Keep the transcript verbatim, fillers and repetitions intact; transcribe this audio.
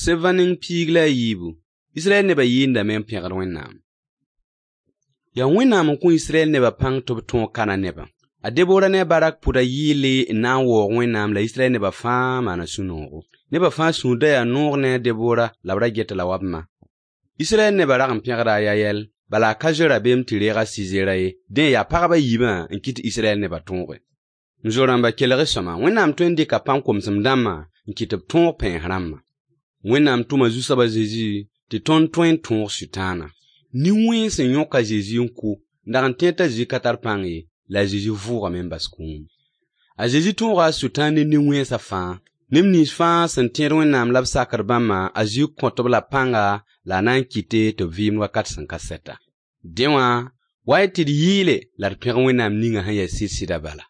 Sevã ning piig la a yiibu, Israyɛl nebã yɩɩndame n pẽgd Wẽnnaam. Yaa Wẽnnaam n kõ Israyɛl nebã pãng tɩ b tõog Kana nebã. A Debora ne a Barak pʋda yɩɩle n na n waoog Wẽnnaam la Israyɛl nebã fãa maana sũ-noogo. Nebã fãa sũur da yaa noog ne a Debora la b ra get-a la wa b ma. Israyɛl nebã rag n pẽgda a Yayɛl, bala a ka zoe rabeem tɩ reeg a Sizera ye. Dẽ, yaa pagb a yiibã n kɩt tɩ Israyɛl nebã tõoge. M zo-rãmba, kelg-y sõama, Wẽnnaam tõe n dɩka pãn-komsem dãmbã n kɩt tɩ b tõog pɛɛns rãmbã. Wẽnnaam tʋma Zu-soab a Zezi tɩ tõnd tõe n tõog Sʋtãana. Nin-wẽns sẽn yõk a Zezi n kʋ, n dag n tẽed t'a Zezi ka tar pãng ye, la a Zezi vʋʋgame n bas kũum. A Zezi tõoga a Sʋtãan ne nin-wẽnsã fãa. Neb nins fãa sẽn tẽed Wẽnnaam la b sakd bãmbã, a Zezi kõt-b la pãnga la a na n kɩte tɩ b vɩɩmd wakat sẽn ka sɛta. Dẽ wã, wa-y tɩ d yɩɩle la d pẽg Wẽnnaam ninga sẽn ya sɩd-sɩdã bala.